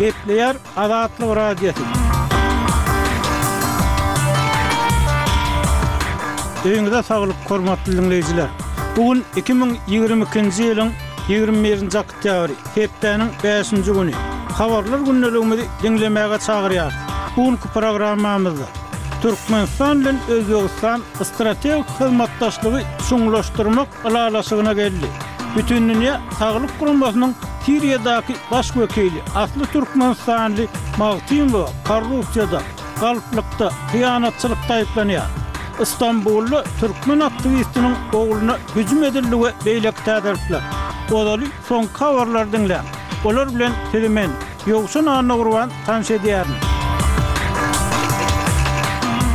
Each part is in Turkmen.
Gepleýär Azatlyk Radiosy. Öýüňize saglyk, hormatly diňleýjiler! Bu gün 2022-nji ýylyň 21-nji oktýabry, hepdäniň bäşinji güni. Habarlar gündeligimizi diňlemäge çagyrýarys. Bu günki programmamyzda Türkmenistan bilen Özbegistan strategik hyzmatdaşlygy çuňlaşdyrmak ylalaşygyna geldi. Bütindünýä Saglyk Guramasynyň Siriýadaky baş wekili, asly türkmenistanly Magtymowa korrupsiýada, galplykda, hyýanatçylykda aýyplanýar. Stambulda türkmen aktiwistiniň ogluna hüjüm edildi we beýleki täzelikler. Ozaly soňky habarlary diňläň. Olar bilen sizi men, Ýowşan Annagurban tanyş edýärin.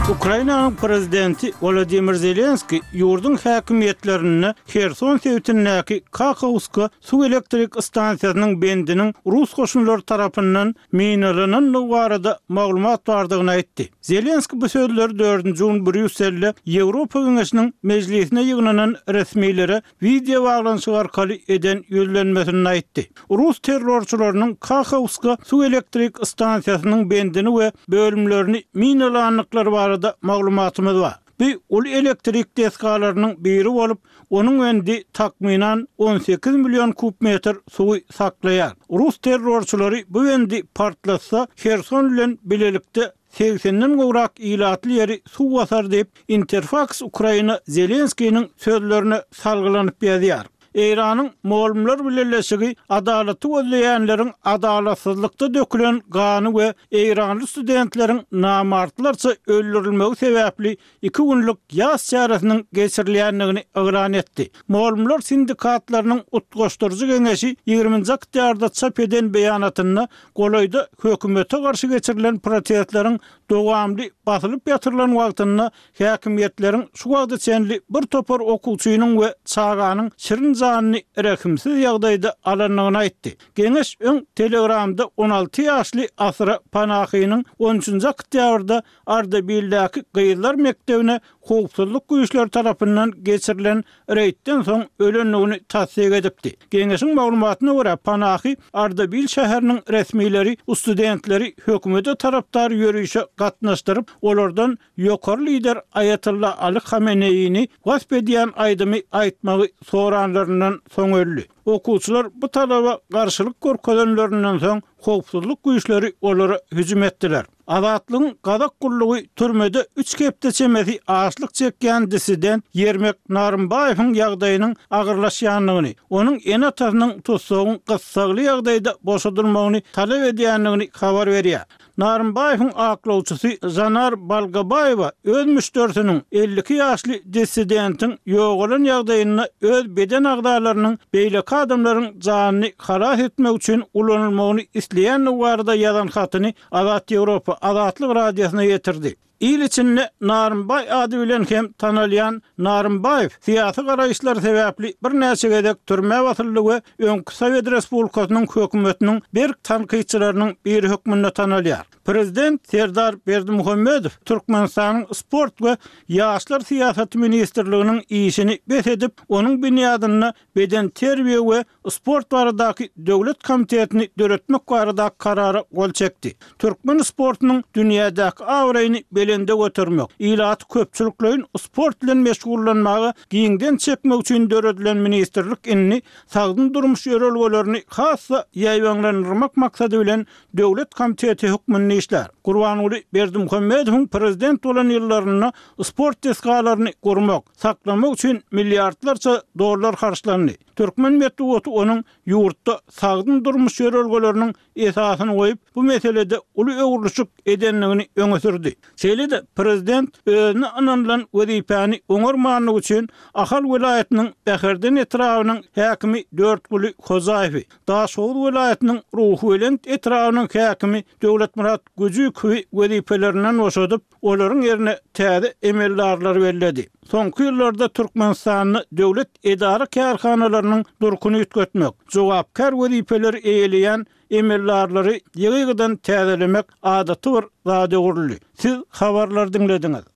Ukrainanyň prezidenti Wolodymyr Zelenskiý ýurduň häkimiýetlerinde Herson sebitindäki Kakowska suw elektrik stansiýasynyň bendiniň rus goşunlary tarapyndan minalanandygy barada maglumat bardygyny aýtdy. Zelenskiý bu sözleri dördünji gün Brýusselde Ýewropa Geňeşiniň mejlisine ýygnanan resmilere wideo baglanyşyk arkaly eden ýüzlenmesinde aýtdy. Rus terrorçylarynyň Kakowska suw elektrik stansiýasynyň bendini we bölümlerini minalandyklary barada maglumatymyz bar. Bu uly elektrik desgalarynyň biri bolup, onuň bendi takmynan 18 million kub metr suwy saklaýar. Rus terrorçylary bu bendi partlatsa, Herson bilen bilelikde segsenden gowrak ilatly ýeri suw basar diýip, Interfaks Ukraina Zelenskiniň sözlerine salgylanyp ýazýar. Eýranyň Mugallymlar bileleşigi adalaty gözleýänleriň adalatsyzlykda dökülen gany we eýranly studentleriň namartlarça öldürilmegi sebäpli iki günlük ýas çäresiniň geçirilýändigini yglan etdi. Mugallymlar sindikatlarynyň utgaşdyryjy geňeşi ýigriminji oktýarda çap eden beýanatynda golaýda hökümete garşy geçirilen protestleriň dowamly basylyp ýatyrylan wagtynda häkimiýetleriň şu wagta çenli bir topar okuwçynyň we çaganyň şirin janyny rehimsiz ýagdaýda alandygyny aýtdy. Geňeş öň Telegramda 16 ýaşly Asra Panahynyň on üçünji oktýabrda Ardebildäki gyzlar mekdebine howpsuzlyk güýçleri tarapyndan geçirilen reýdden soň ölendigini tassyk edipdi. Geňeşiň maglumatyna görä, Panahy Ardabil şäheriniň resmileri studentleri hökümete tarapdar ýörişe gatnaşdyryp, olardan ýokary lider Aýatolla Ali Hameneýini wasp edýän aýdymy aýtmagy soranlaryndan soň öldi. Okuwçylar bu talaba garşylyk görkezenlerinden soň, howpsuzlyk güýçleri olara hüjüm etdiler. Azatlygyň gazak gullugy türmede üç hepde çemesi açlyk çekýän dissident Ýermek Narymbaýewiň ýagdaýynyň agyrlaşýandygyny, onuň ene-atasynyň tussagyň gyssagly ýagdaýda boşadylmagyny talap edýändigini habar berýär. Narymbaýewiň aklawçysy Žanar Balgabaýewa öz müşderisiniň, 52 ýaşly dissidentiň ýogalan ýagdaýynda öz beden agzalarynyň beýleki adamlaryň janyny halas etmek üçin ulanylmagyny isleýändigi barada ýazan hatyny Azat Ýewropa, Azatlyk Radiosyna ýetirdi. Il içinde Narymbaý ady bilen hem tanalýan Narymbaýew syýasy garaýyşlary sebäpli birnäçe gezek türmä basyldy we öňki Sowet respublikasynyň hökümetiniň berk tankytçylarynyň biri hökmünde tanalýar. Prezident Serdar Berdimuhamedow Türkmenistanyň Sport we ýaşlar syýasaty ministrliginiň işini bes edip, onuň binýadynda Bedenterbiýe we sport baradaky döwlet komitetini döretmek baradaky Karara gol çekdi. Türkmen sportunyň dünýädäki abraýyny belende götermek, ilaty köpçülikleýin sport bilen meşgullanmaga giňden çekmek üçin döredilen ministrlik indi sagdyn durmuş ýörelgelerini has-da ýaýbaňlandyrmak maksady bilen döwlet komiteti hökmünde işlär. Gurbanguly Berdimuhamedowyň prezident bolan ýyllarynda sport desgalaryny gurmak, saklamak üçin milliardlarça dollar harçlandy. Türkmen metbugaty onuň ýurtda sagdyn durmuş ýörelgeleriniň esasyny goýup, bu meselede uly öwrülişik edendigini öňe sürdi. Şeýle-de prezident özüne ynanylan wezipäni oňarmanlygy üçin Ahal welaýatynyň Bäherden etrabynyň häkimi Dörtguly Hojaýewi, Daşoguz welaýatynyň Ruhubelent etrabynyň häkimi Döwletmyrat Güjükowy wezipelerinden boşadyp, olaryň ýerine täze emeldarlary belledi. Soňky ýyllarda Türkmenistanda döwlet edara-kärhanalarynyň durkuny üýtgetmek, jogapkär wezipeleri eýeleýän emeldarlary ýygy-ýygydan täzelemek adaty bir zada öwrüldi. Siz habarlary diňlediňiz.